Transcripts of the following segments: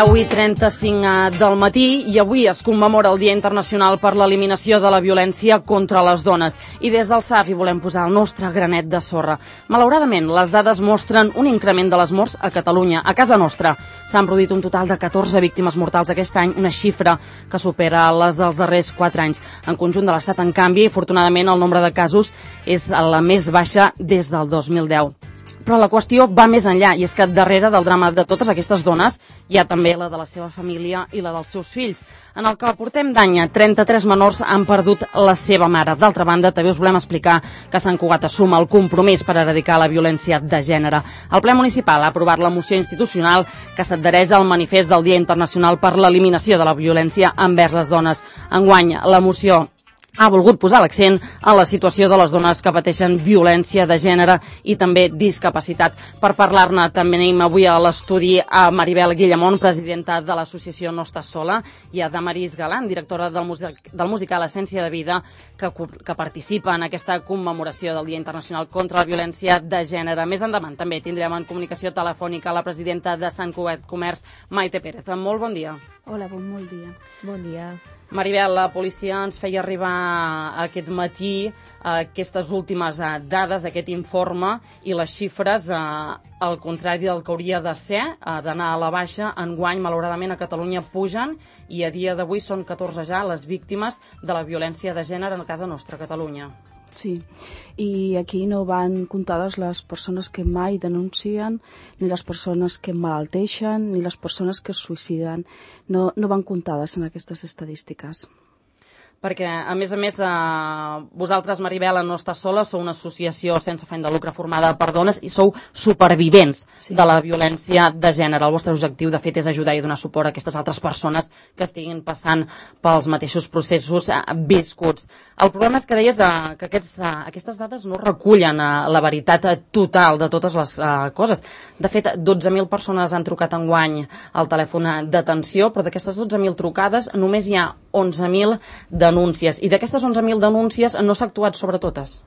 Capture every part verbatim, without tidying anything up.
deu i trenta-cinc del matí i avui es commemora el Dia Internacional per l'Eliminació de la Violència contra les Dones. I des del S A F hi volem posar el nostre granet de sorra. Malauradament, les dades mostren un increment de les morts a Catalunya. A casa nostra s'han produït un total de catorze víctimes mortals aquest any, una xifra que supera les dels darrers quatre anys. En conjunt de l'Estat, en canvi, afortunadament, el nombre de casos és la més baixa des del dos mil deu. Però la qüestió va més enllà, i és que darrere del drama de totes aquestes dones hi ha també la de la seva família i la dels seus fills. En el que portem d'any, trenta-tres menors han perdut la seva mare. D'altra banda, també us volem explicar que Sant Cugat assuma el compromís per erradicar la violència de gènere. El ple municipal ha aprovat la moció institucional que s'adhereix al manifest del Dia Internacional per l'Eliminació de la Violència envers les dones. Enguany, la moció ha volgut posar l'accent en la situació de les dones que pateixen violència de gènere i també discapacitat. Per parlar-ne també anem avui a l'estudi a Maribel Guillamont, presidenta de l'associació No Estàs Sola, i a Damaris Galant, directora del, music, del musical Essència de Vida, que, que participa en aquesta commemoració del Dia Internacional contra la Violència de Gènere. Més endavant també tindrem en comunicació telefònica la presidenta de Sant Cugat Comerç, Maite Pérez. Molt bon dia. Hola, bon, molt dia. Bon dia. Maribel, la policia ens feia arribar aquest matí eh, aquestes últimes eh, dades, aquest informe, i les xifres, eh, al contrari del que hauria de ser, eh, d'anar a la baixa, enguany, malauradament, a Catalunya pugen, i a dia d'avui són catorze ja les víctimes de la violència de gènere a casa nostra, a Catalunya. Sí, i aquí no van comptades les persones que mai denuncien, ni les persones que malalteixen, ni les persones que es suïciden. No, no van comptades en aquestes estadístiques. Perquè, a més a més, eh, vosaltres, Maribel, No Estàs Sola, sou una associació sense afany de lucre formada per dones i sou supervivents sí. de la violència de gènere. El vostre objectiu, de fet, és ajudar i donar suport a aquestes altres persones que estiguin passant pels mateixos processos eh, viscuts. El problema és que deies eh, que aquests, eh, aquestes dades no recullen eh, la veritat total de totes les eh, coses. De fet, dotze mil persones han trucat enguany al telèfon d'atenció, però d'aquestes dotze mil trucades només hi ha onze mil denúncies. I d'aquestes onze mil denúncies no s'ha actuat sobre totes?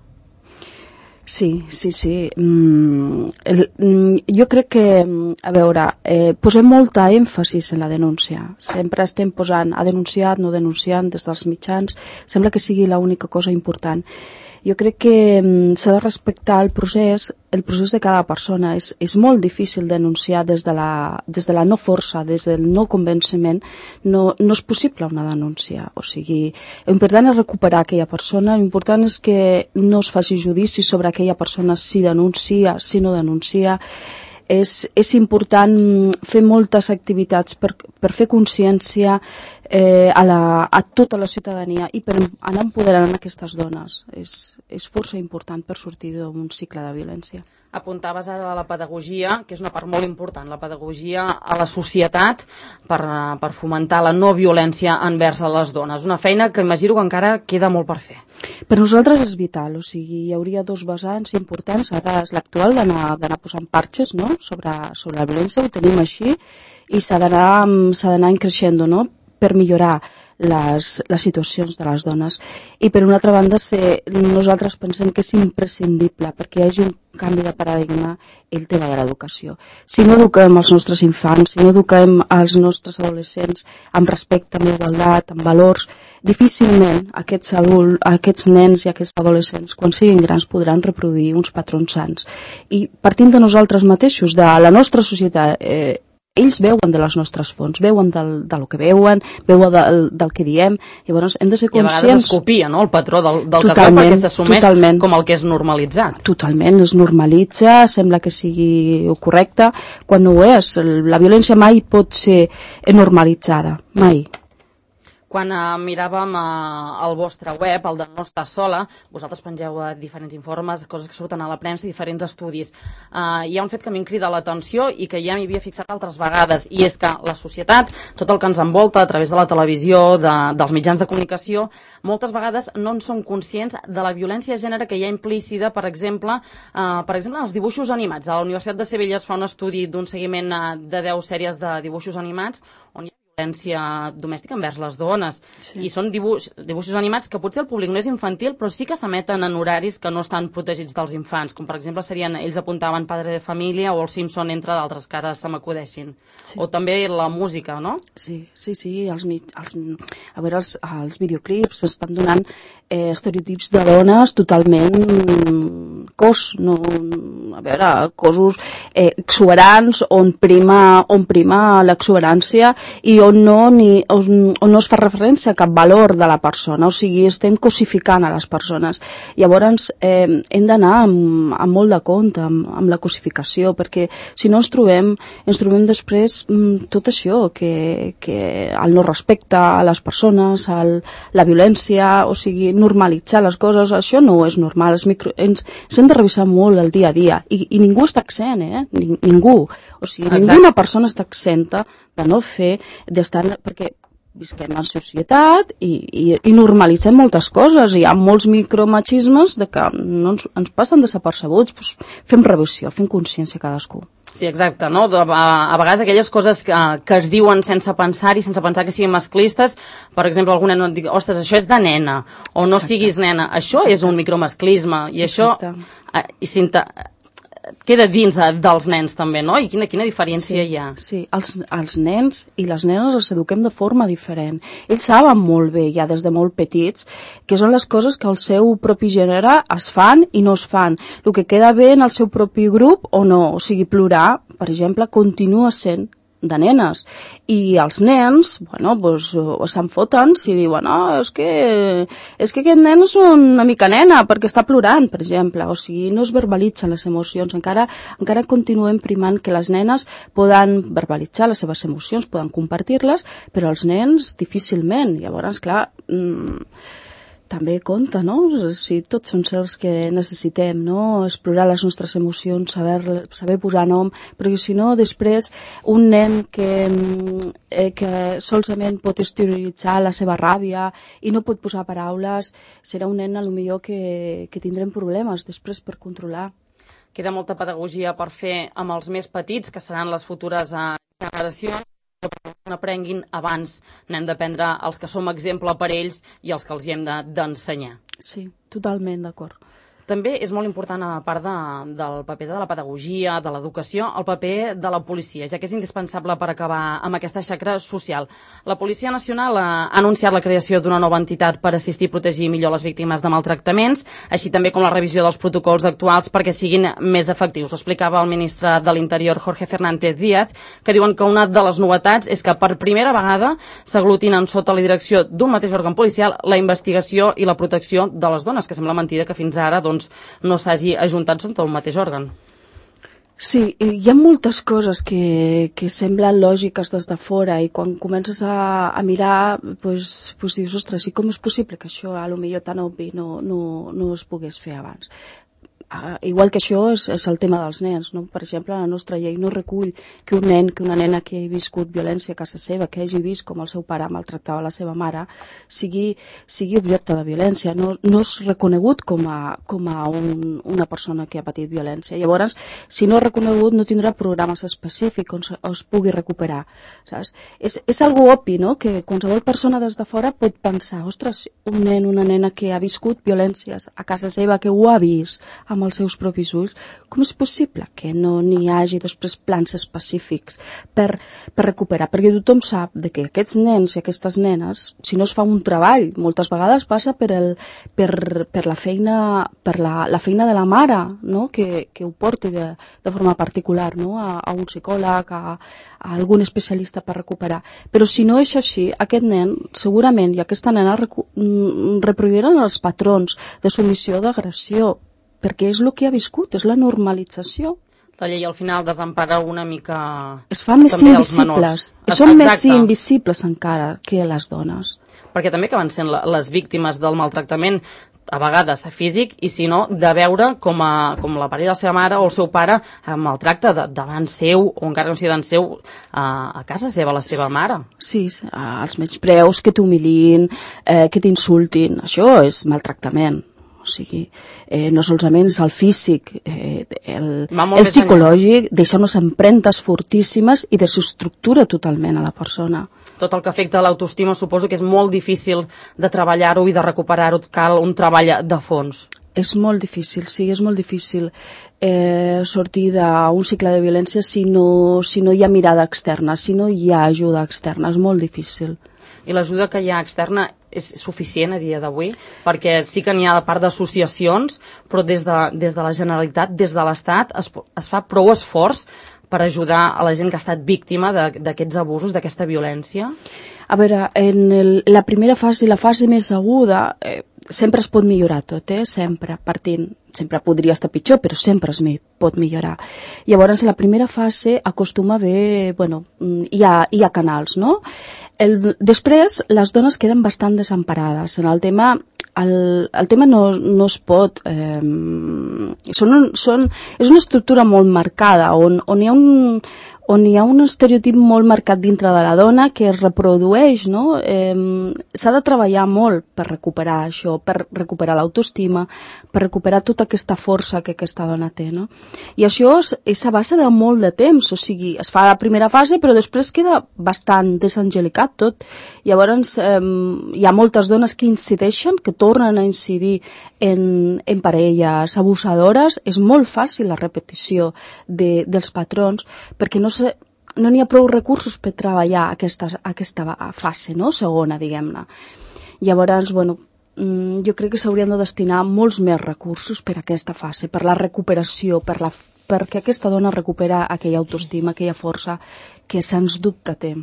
Sí, sí, sí. Mm, el, mm, jo crec que, a veure, eh, posem molta èmfasis en la denúncia. Sempre estem posant a denunciar, no denunciant des dels mitjans. Sembla que sigui l'única cosa important. Jo crec que mm, s'ha de respectar el procés, el procés de cada persona. És, és molt difícil denunciar des de, la, des de la no força, des del no convenciment. No, no és possible una denúncia. O sigui, l'important és recuperar aquella persona, l'important és que no es faci judici sobre aquella persona si denuncia, si no denuncia. És, és important fer moltes activitats per, per fer consciència eh, a, la, a tota la ciutadania i per anar empoderant aquestes dones. És, és força important per sortir d'un cicle de violència. Apuntaves ara a la pedagogia, que és una part molt important, la pedagogia a la societat per, per fomentar la no violència envers a les dones. Una feina que imagino que encara queda molt per fer. Per nosaltres és vital, o sigui, hi hauria dos vessants importants. Ara és l'actual d'anar posant parxes, no?, sobre, sobre la violència, ho tenim així, i s'ha d'anar creixent, no?, per millorar les, les situacions de les dones. I per una altra banda, se, nosaltres pensem que és imprescindible perquè hi hagi un canvi de paradigma el tema de l'educació. Si no eduquem els nostres infants, si no eduquem els nostres adolescents amb respecte, amb igualtat, amb valors, difícilment aquests adults, aquests nens i aquests adolescents, quan siguin grans, podran reproduir uns patrons sants. I partint de nosaltres mateixos, de la nostra societat, eh, ells veuen de les nostres fonts, veuen del, del que veuen, veuen del, del que diem, llavors hem de ser conscients... I a vegades es copia, no?, el patró del, del que es veu perquè s'assumeix com el que és normalitzat. Totalment, es normalitza, sembla que sigui correcte, quan no ho és. La violència mai pot ser normalitzada, mai. Quan eh, miràvem eh, el vostre web, el de No Estàs Sola, vosaltres pengeu eh, diferents informes, coses que surten a la premsa, diferents estudis. Eh, hi ha un fet que m'hi crida l'atenció i que ja m'hi havia fixat altres vegades, i és que la societat, tot el que ens envolta a través de la televisió, de, dels mitjans de comunicació, moltes vegades no en som conscients de la violència de gènere que hi ha implícita, per exemple, eh, per exemple, en els dibuixos animats. A la Universitat de Sevilla es fa un estudi d'un seguiment eh, de deu sèries de dibuixos animats on hi ha violència domèstica envers les dones. Sí. I són dibuix, dibuixos animats que potser el públic no és infantil, però sí que s'emeten en horaris que no estan protegits dels infants, com per exemple serien, ells apuntaven Padre de Família o El Simpson, entre d'altres, que ara se m'acudeixin. Sí. O també la música, no? Sí, sí, sí. Els, els, a veure, els, els videoclips estan donant eh, estereotips de dones totalment cos, no, a veure, cossos eh, exuberants on prima, on prima l'exuberància i on no, ni, on, on no es fa referència a cap valor de la persona, o sigui, estem cosificant a les persones. Llavors, eh, hem d'anar amb, amb molt de compte amb, amb la cosificació, perquè si no ens trobem, ens trobem després mm, tot això, que, que el no respecte a les persones, el, la violència, o sigui, normalitzar les coses, això no és normal. Els micro, ens, ens hem de revisar molt el dia a dia, i, i ningú està accent, eh? Ning, ningú. O sigui, Exacte. Ninguna persona està exenta de no fer, d'estar, perquè visquem en societat i, i, i normalitzem moltes coses. Hi ha molts micromachismes de que no ens, ens passen desapercebuts. Pues fem revisió, fem consciència cadascú. Sí, exacte, no? A, a vegades aquelles coses que, que es diuen sense pensar-hi, sense pensar que siguin masclistes, per exemple, alguna no et digui, ostres, això és de nena, o no Exacte. Siguis nena, això Exacte. És un micromasclisme, i Exacte. Això eh, i sinta, queda dins dels nens també, no? I quina, quina diferència sí, hi ha? Sí, els, els nens i les nenes els eduquem de forma diferent. Ells saben molt bé, ja des de molt petits, que són les coses que el seu propi gènere es fan i no es fan. El que queda bé en el seu propi grup o no. O sigui, plorar, per exemple, continua sent de nenes, i els nens, bueno, pues, se'n foten si diuen, no, és que, és que aquest nen és una mica nena perquè està plorant, per exemple, o sigui, no es verbalitzen les emocions, encara, encara continuem primant que les nenes poden verbalitzar les seves emocions, poden compartir-les, però els nens difícilment. Llavors, clar, mmm, també compta, no? Si tots són certs que necessitem, no? Explorar les nostres emocions, saber, saber posar nom, perquè si no, després, un nen que, eh, que solament pot exterioritzar la seva ràbia i no pot posar paraules, serà un nen, a lo millor, que, que tindrem problemes després per controlar. Queda molta pedagogia per fer amb els més petits, que seran les futures generacions, que n'aprenguin abans. N'hem d'aprendre els que som exemple per ells i els que els hi hem d'ensenyar. Sí, totalment d'acord. També és molt important, a part de, del paper de la pedagogia, de l'educació, el paper de la policia, ja que és indispensable per acabar amb aquesta xacra social. La Policia Nacional ha anunciat la creació d'una nova entitat per assistir i protegir millor les víctimes de maltractaments, així també com la revisió dels protocols actuals perquè siguin més efectius. Ho explicava el ministre de l'Interior, Jorge Fernández Díaz, que diuen que una de les novetats és que per primera vegada s'aglutinen sota la direcció d'un mateix òrgan policial la investigació i la protecció de les dones, que sembla mentida que fins ara doncs, no s'hagi ajuntat sota un mateix òrgan. Sí, hi ha moltes coses que, que semblen lògiques des de fora i quan comences a, a mirar pues, pues dius, ostres, i com és possible que això a lo millor tan obvi no, no, no es pogués fer abans? Uh, igual que això és, és el tema dels nens, no? Per exemple, la nostra llei no recull que un nen, que una nena que hagi viscut violència a casa seva, que hagi vist com el seu pare maltractava la seva mare, sigui, sigui objecte de violència, no, no és reconegut com a, com a un, una persona que ha patit violència. Llavors, si no és reconegut, no tindrà programes específics on es pugui recuperar, saps? És, és algo obvi, no?, que qualsevol persona des de fora pot pensar, ostres, un nen, una nena que ha viscut violències a casa seva, que ho ha vist amb els seus propis ulls, com és possible que no n'hi hagi després plans específics per, per recuperar? Perquè tothom sap de que aquests nens i aquestes nenes, si no es fa un treball, moltes vegades passa per, el, per, per, la, feina, per la, la feina de la mare, no?, que, que ho porti de, de forma particular, no?, a, a un psicòleg, a, a algun especialista per recuperar. Però si no és així, aquest nen segurament i aquesta nena recu- reproduiran els patrons de submissió, d'agressió, perquè és el que ha viscut, és la normalització. La llei al final desempara una mica... Es fa més invisibles, i són més invisibles encara que les dones. Perquè també acaben sent les víctimes del maltractament, a vegades físic, i si no, de veure com, a, com la parella de la seva mare o el seu pare maltracta de, davant seu, o encara no sigui davant seu, a, a casa seva, la seva sí. mare. Sí, els menyspreus, que t'humilin, eh, que t'insultin, això és maltractament. O sigui, eh, no solament és el físic, eh, el, el psicològic, deixa unes empremtes fortíssimes i desestructura totalment a la persona. Tot el que afecta a l'autoestima suposo que és molt difícil de treballar-ho i de recuperar-ho, cal un treball de fons. És molt difícil, sí, és molt difícil eh, sortir d'un cicle de violència si no, si no hi ha mirada externa, si no hi ha ajuda externa, és molt difícil. I l'ajuda que hi ha externa és suficient a dia d'avui? Perquè sí que n'hi ha de part d'associacions, però des de, des de la Generalitat, des de l'Estat, es, es fa prou esforç per ajudar a la gent que ha estat víctima d'aquests abusos, d'aquesta violència? A veure, en el, la primera fase, la fase més aguda, eh, sempre es pot millorar tot, eh? Sempre, partint. Sempre podria estar pitjor, però sempre es pot millorar. Llavors, la primera fase acostuma a haver, bueno, hi ha, hi ha canals, no? El, després, les dones queden bastant desemparades. En el tema, el, el tema no, no es pot... Eh, són, són, és una estructura molt marcada, on, on hi ha un... on hi ha un estereotip molt marcat dintre de la dona que es reprodueix, no? Eh, s'ha de treballar molt per recuperar això, per recuperar l'autoestima, per recuperar tota aquesta força que aquesta dona té, no? I això és, és a base de molt de temps, o sigui, es fa la primera fase però després queda bastant desangelicat tot. Llavors eh, hi ha moltes dones que incideixen, que tornen a incidir en, en parelles abusadores. És molt fàcil la repetició de, dels patrons perquè no no n'hi ha prou recursos per treballar aquesta, aquesta fase, no? Segona, diguem-ne. Llavors, bueno, jo crec que s'haurien de destinar molts més recursos per a aquesta fase, per la recuperació, per la, perquè aquesta dona recupera aquella autoestima, aquella força que sens dubte té.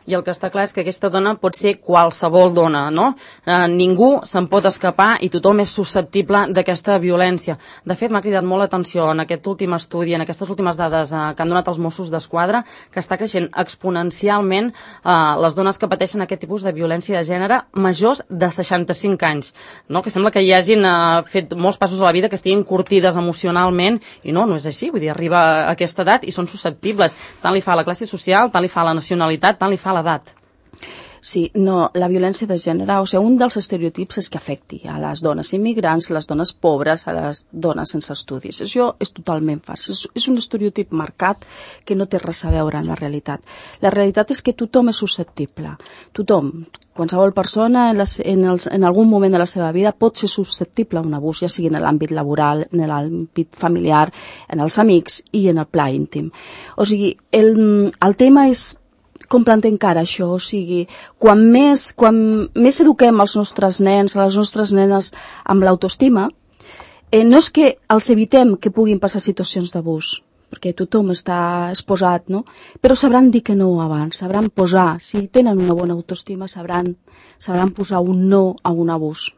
I el que està clar és que aquesta dona pot ser qualsevol dona, no? Eh, ningú se'n pot escapar i tothom és susceptible d'aquesta violència. De fet, m'ha cridat molt l'atenció en aquest últim estudi, en aquestes últimes dades eh, que han donat els Mossos d'Esquadra, que està creixent exponencialment eh, les dones que pateixen aquest tipus de violència de gènere majors de seixanta-cinc anys, no? Que sembla que hi hagin eh, fet molts passos a la vida, que estiguin curtides emocionalment, i no, no és així, vull dir, arriba a aquesta edat i són susceptibles. Tant li fa la classe social, tant li fa la nacionalitat, tant li fa l'edat. Sí, no, la violència de gènere, o sigui, un dels estereotips és que afecti a les dones immigrants, a les dones pobres, a les dones sense estudis. Això és totalment fals. És, és un estereotip marcat que no té res a veure amb la realitat. La realitat és que tothom és susceptible. Tothom, qualsevol persona en, les, en, els, en algun moment de la seva vida pot ser susceptible a un abús, ja sigui en l'àmbit laboral, en l'àmbit familiar, en els amics i en el pla íntim. O sigui, el, el tema és com plantem cara això, o sigui, quan més, quan més eduquem els nostres nens, les nostres nenes amb l'autoestima, eh, no és que els evitem que puguin passar situacions d'abús, perquè tothom està exposat, no? Però sabran dir que no abans, sabran posar, si tenen una bona autoestima, sabran, sabran posar un no a un abús.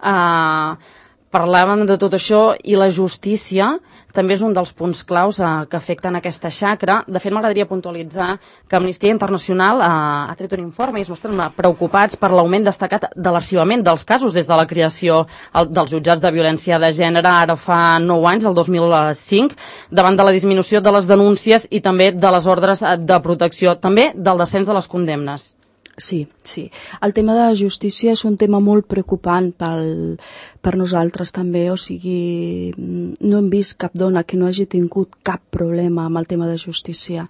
Uh, parlàvem de tot això i la justícia també és un dels punts claus eh, que afecten aquesta xacra. De fet, m'agradaria puntualitzar que Amnistia Internacional eh, ha tret un informe i es mostren preocupats per l'augment destacat de l'arxivament dels casos des de la creació el, dels jutjats de violència de gènere ara fa nou anys, el dos mil cinc, davant de la disminució de les denúncies i també de les ordres de protecció, també del descens de les condemnes. Sí, sí. El tema de la justícia és un tema molt preocupant pel, per nosaltres també, o sigui, no hem vist cap dona que no hagi tingut cap problema amb el tema de justícia,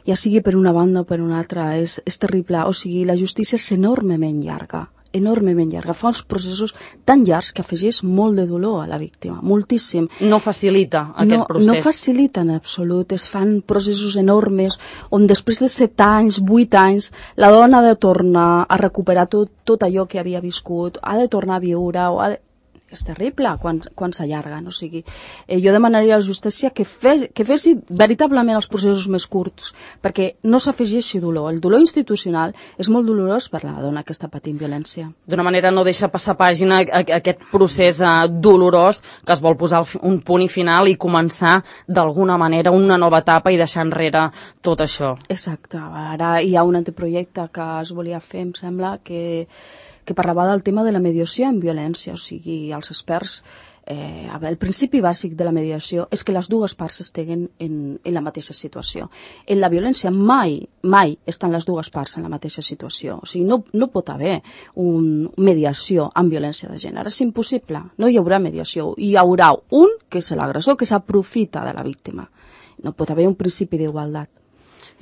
ja sigui per una banda o per una altra, és, és terrible, o sigui, la justícia és enormement llarga, enormement llarga, fa uns processos tan llargs que afegeix molt de dolor a la víctima, moltíssim. No facilita aquest no, procés. No facilita en absolut, es fan processos enormes on després de set anys, vuit anys, la dona ha de tornar a recuperar tot, tot allò que havia viscut, ha de tornar a viure, o ha de... és terrible quan, quan s'allarguen, o sigui, eh, jo demanaria a la justícia que, fes, que fessi veritablement els processos més curts, perquè no s'afegeixi dolor. El dolor institucional és molt dolorós per la dona que està patint violència. D'una manera no deixa passar pàgina a, a aquest procés uh, dolorós que es vol posar un punt i final i començar d'alguna manera una nova etapa i deixar enrere tot això. Exacte. Ara hi ha un anteprojecte que es volia fer, em sembla, que que parlava del tema de la mediació en violència, o sigui, els experts Eh, a veure, el principi bàsic de la mediació és que les dues parts estiguen en, en la mateixa situació. En la violència mai, mai estan les dues parts en la mateixa situació. O sigui, no, no pot haver una mediació amb violència de gènere. És impossible. No hi haurà mediació. Hi haurà un, que és l'agressor, que s'aprofita de la víctima. No pot haver un principi d'igualtat.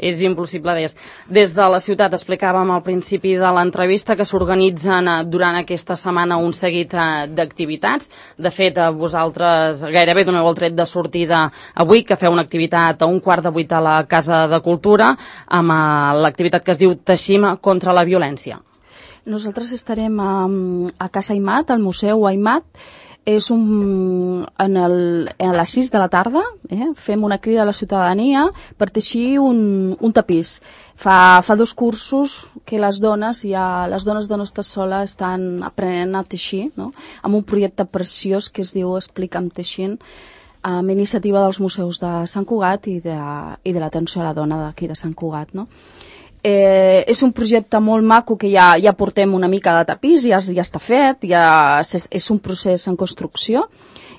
És impossible, deies. Des de la ciutat explicàvem al principi de l'entrevista que s'organitzen durant aquesta setmana un seguit d'activitats. De fet, vosaltres gairebé doneu el tret de sortida avui, que feu una activitat a un quart de vuit a la Casa de Cultura, amb l'activitat que es diu Teixim contra la violència. Nosaltres estarem a, a Casa Aimat, al Museu Aimat. És un, en el, a les sis de la tarda, eh, fem una crida a la ciutadania per teixir un, un tapís. Fa, fa dos cursos que les dones, ja, les dones de Nostra Sola estan aprenent a teixir, no? Amb un projecte preciós que es diu Explica'm teixint, amb iniciativa dels museus de Sant Cugat i de, i de l'atenció a la dona d'aquí de Sant Cugat, no? Eh, és un projecte molt maco que ja, ja portem una mica de tapís, ja, ja està fet, ja és, és un procés en construcció,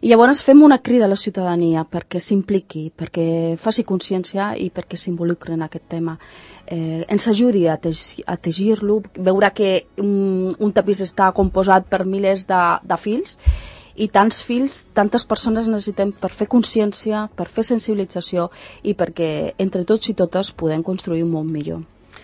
i llavors fem una crida a la ciutadania perquè s'impliqui, perquè faci consciència i perquè s'involucri en aquest tema. Eh, ens ajudi a, teixir, a teixir-lo, veurà que un, un tapís està composat per milers de, de fils, i tants fils, tantes persones necessitem per fer consciència, per fer sensibilització i perquè entre tots i totes podem construir un món millor.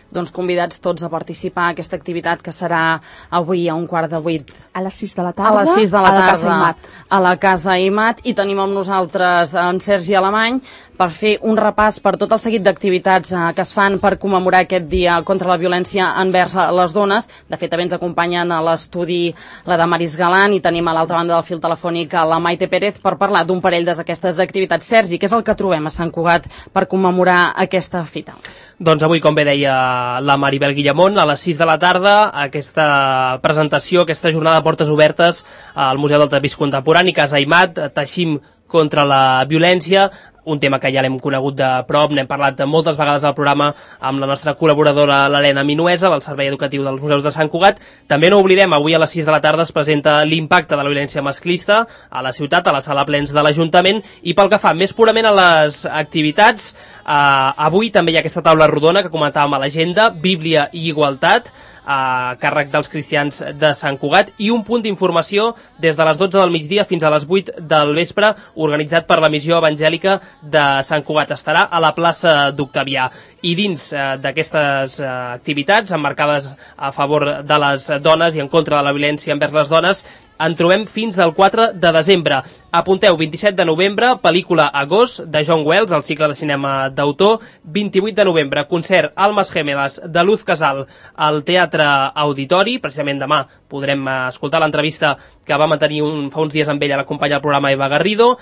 Doncs convidats tots a participar en aquesta activitat que serà avui a un quart de vuit. A les sis de la tarda, a, les sis de la a la tarda, Casa Aimat. A la Casa Aimat, i tenim amb nosaltres en Sergi Alemany per fer un repàs per tot el seguit d'activitats eh, que es fan per commemorar aquest dia contra la violència envers les dones. De fet, també ens acompanyen a l'estudi la Damaris Galant i tenim a l'altra banda del fil telefònic a la Maite Pérez per parlar d'un parell d'aquestes activitats. Sergi, què és el que trobem a Sant Cugat per commemorar aquesta fita? Doncs avui, com bé deia la Maribel Guillamont, a les sis de la tarda, aquesta presentació, aquesta jornada de portes obertes al Museu del Tapís Contemporani, Casa Aimat, Teixim contra la violència, un tema que ja l'hem conegut de prop, n'hem parlat moltes vegades al programa amb la nostra col·laboradora l'Helena Minuesa del Servei Educatiu dels Museus de Sant Cugat. També no oblidem, avui a les sis de la tarda es presenta l'impacte de la violència masclista a la ciutat, a la sala plens de l'Ajuntament, i pel que fa més purament a les activitats, eh, avui també hi ha aquesta taula rodona que comentàvem a l'agenda, Bíblia i Igualtat, a càrrec dels cristians de Sant Cugat, i un punt d'informació des de les dotze del migdia fins a les vuit del vespre, organitzat per la Missió Evangèlica de Sant Cugat. Estarà a la plaça d'Octavià. I dins eh, d'aquestes eh, activitats emmarcades a favor de les dones i en contra de la violència envers les dones, en trobem fins al quatre de desembre. Apunteu, vint-i-set de novembre, pel·lícula Agost, de John Wells, el cicle de cinema d'autor. vint-i-vuit de novembre, concert Almas Gemelas, de Luz Casal, al Teatre Auditori. Precisament demà podrem escoltar l'entrevista que va mantenir un, fa uns dies amb ella la companya del programa Eva Garrido.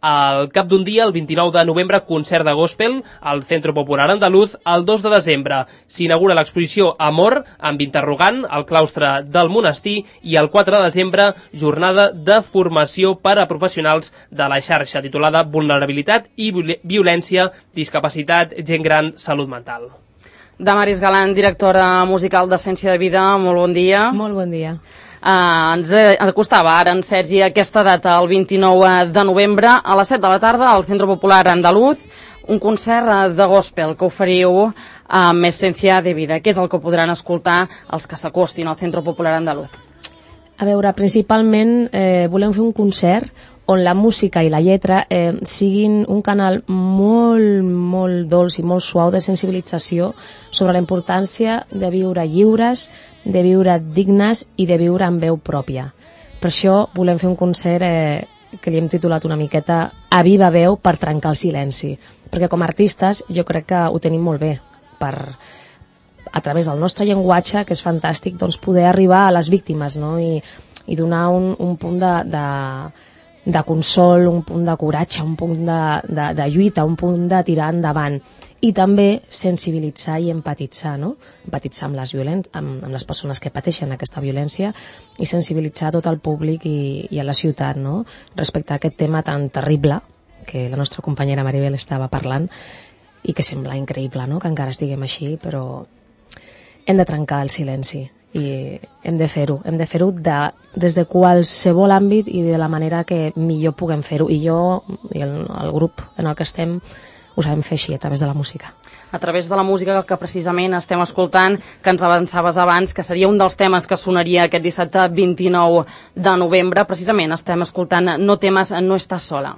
Al cap d'un dia, el vint-i-nou de novembre, concert de gospel al Centro Popular Andaluz. El dos de desembre s'inaugura l'exposició Amor, amb interrogant, al claustre del monestir, i el quatre de desembre, jornada de formació per a professionals de la xarxa, titulada Vulnerabilitat i Violència, Discapacitat, Gent Gran, Salut Mental. Damaris Galant, directora musical d'Essència de Vida, molt bon dia. Molt bon dia. Uh, ens acostava ara en Sergi aquesta data, el vint-i-nou de novembre, a les set de la tarda, al Centre Popular Andaluz, un concert de gospel que oferiu amb Essència de Vida. Què és el que podran escoltar els que s'acostin al Centre Popular Andaluz? A veure, principalment eh, volem fer un concert on la música i la lletra eh, siguin un canal molt, molt dolç i molt suau de sensibilització sobre la importància de viure lliures, de viure dignes i de viure amb veu pròpia. Per això volem fer un concert eh, que li hem titulat una miqueta A viva veu per trencar el silenci, perquè com a artistes jo crec que ho tenim molt bé per, a través del nostre llenguatge, que és fantàstic, doncs poder arribar a les víctimes, no? I, i donar un, un punt de, de, de consol, un punt de coratge, un punt de, de, de lluita, un punt de tirar endavant. I també sensibilitzar i empatitzar, no? Empatitzar amb les, violent, amb, amb les persones que pateixen aquesta violència i sensibilitzar tot el públic i, i a la ciutat, no? Respecte a aquest tema tan terrible que la nostra companyera Maribel estava parlant i que sembla increïble, no? Que encara estiguem així, però hem de trencar el silenci i hem de fer-ho, hem de fer-ho de, des de qualsevol àmbit i de la manera que millor puguem fer-ho, i jo i el, el grup en el que estem ho sabem fer així, a través de la música. A través de la música que precisament estem escoltant, que ens avançaves abans, que seria un dels temes que sonaria aquest dissabte vint-i-nou de novembre, precisament estem escoltant No temes, no estàs sola.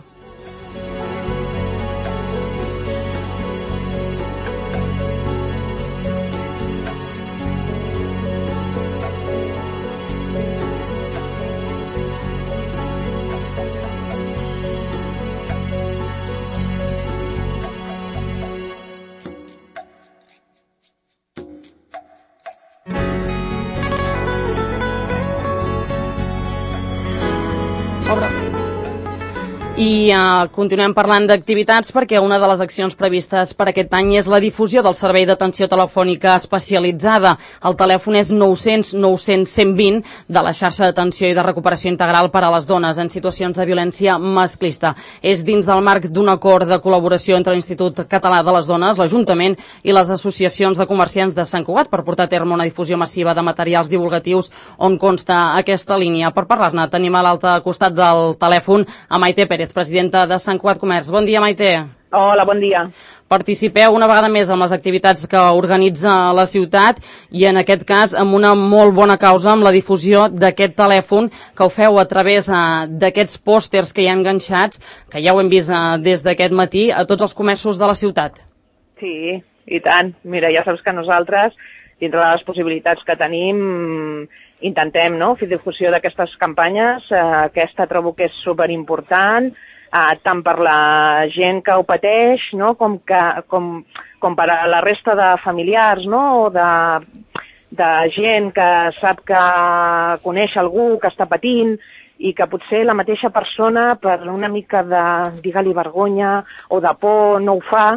I uh, continuem parlant d'activitats perquè una de les accions previstes per aquest any és la difusió del servei d'atenció telefònica especialitzada. El telèfon és nou cents nou cents cent vint de la xarxa d'atenció i de recuperació integral per a les dones en situacions de violència masclista. És dins del marc d'un acord de col·laboració entre l'Institut Català de les Dones, l'Ajuntament i les associacions de comerciants de Sant Cugat per portar a terme una difusió massiva de materials divulgatius on consta aquesta línia. Per parlar-ne tenim a l'altre costat del telèfon a Maite Pérez, presidenta de Sant Cugat Comerç. Bon dia, Maite. Hola, bon dia. Participeu una vegada més amb les activitats que organitza la ciutat i en aquest cas amb una molt bona causa, amb la difusió d'aquest telèfon que ho feu a través uh, d'aquests pòsters que hi ha enganxats, que ja ho hem vist uh, des d'aquest matí, a tots els comerços de la ciutat. Sí, i tant. Mira, ja saps que nosaltres, dintre de les possibilitats que tenim, intentem, no?, fer difusió d'aquestes campanyes. Eh, aquesta trobo que és superimportant, eh, tant per la gent que ho pateix, no?, com, que, com, com per a la resta de familiars, no?, o de, de gent que sap que coneix algú que està patint i que potser la mateixa persona, per una mica de, digue-li, vergonya o de por, no ho fa,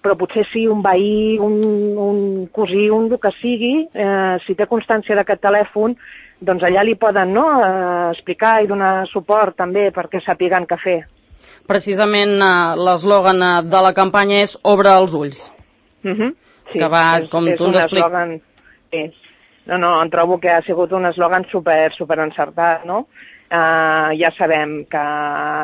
però potser sí un veí, un, un cosí, un el que sigui, eh, si té constància d'aquest telèfon, doncs allà li poden, no?, eh, explicar i donar suport també perquè sàpiguen què fer. Precisament eh, l'eslògan eh, de la campanya és Obre els ulls. Uh -huh. Sí, que va, és, com és tu ens expliques. Sí. No, no, em trobo que ha sigut un eslògan super, super encertat, no? Uh, ja sabem que,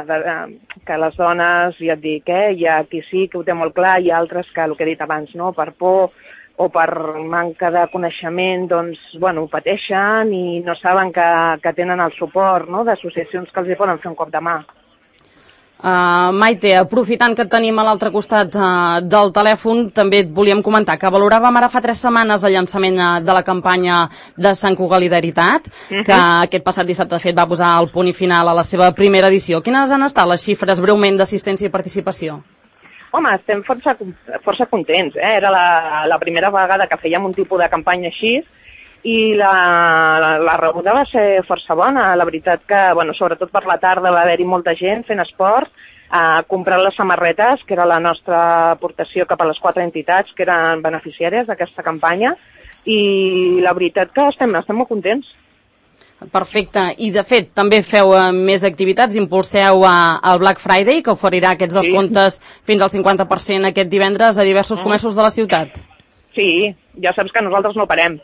de, que les dones, ja et dic, eh, hi ha qui sí que ho té molt clar, hi ha altres que, el que he dit abans, no?, per por o per manca de coneixement, doncs, bueno, ho pateixen i no saben que, que tenen el suport, no?, d'associacions que els hi poden fer un cop de mà. Uh, Maite, aprofitant que et tenim a l'altre costat uh, del telèfon, també et volíem comentar que valoràvem ara fa tres setmanes el llançament uh, de la campanya de Sant Cugalidaritat, uh-huh. que aquest passat dissabte de fet va posar el punt i final a la seva primera edició. Quines han estat les xifres breument d'assistència i participació? Home, estem força, força contents, eh? Era la, la primera vegada que fèiem un tipus de campanya així i la, la, la rebuda va ser força bona. La veritat que, bueno, sobretot per la tarda va haver-hi molta gent fent esport, eh, comprant les samarretes, que era la nostra aportació cap a les quatre entitats que eren beneficiàries d'aquesta campanya, i la veritat que estem, estem molt contents. Perfecte. I, de fet, també feu uh, més activitats. Impulseu uh, el Black Friday, que oferirà aquests descomptes sí. fins al cinquanta per cent aquest divendres a diversos comerços de la ciutat. Sí, ja saps que nosaltres no parem.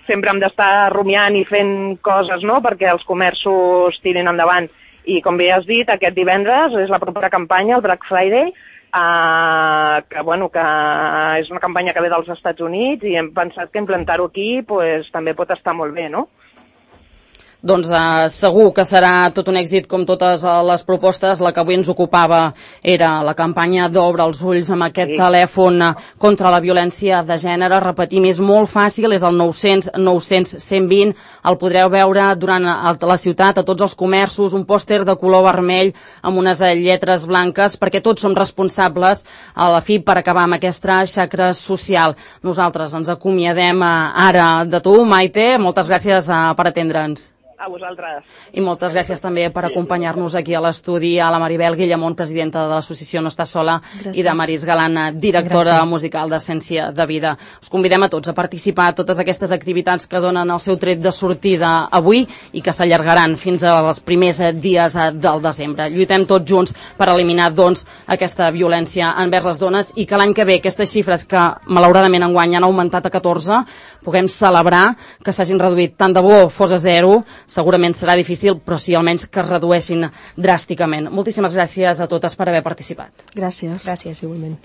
Sempre hem d'estar rumiant i fent coses, no?, perquè els comerços tirin endavant. I, com bé has dit, aquest divendres és la propera campanya, el Black Friday, uh, que, bueno, que és una campanya que ve dels Estats Units i hem pensat que implantar-ho aquí pues, també pot estar molt bé, no? Doncs eh, segur que serà tot un èxit com totes les propostes. La que avui ens ocupava era la campanya d'Obre els ulls amb aquest sí. telèfon contra la violència de gènere. Repetim, és molt fàcil, és el nou cents nou cents cent vint. El podreu veure durant la ciutat, a tots els comerços, un pòster de color vermell amb unes lletres blanques, perquè tots som responsables a la fi per acabar amb aquesta xacra social. Nosaltres ens acomiadem ara de tu, Maite. Moltes gràcies per atendre'ns. A vosaltres. I moltes gràcies també per acompanyar-nos aquí a l'estudi, a la Maribel Guillamont, presidenta de l'associació No Estàs Sola, gràcies. I de Maris Galana, directora gràcies. Musical d'Essència de Vida. Us convidem a tots a participar a totes aquestes activitats que donen el seu tret de sortida avui i que s'allargaran fins als primers dies del desembre. Lluitem tots junts per eliminar, doncs, aquesta violència envers les dones i que l'any que ve aquestes xifres que malauradament enguany han augmentat a catorze puguem celebrar que s'hagin reduït. Tant de bo fos a zero, segurament serà difícil, però sí almenys que es redueixin dràsticament. Moltíssimes gràcies a totes per haver participat. Gràcies. Gràcies, igualment.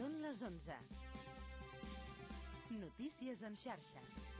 Són les onze. Notícies en xarxa.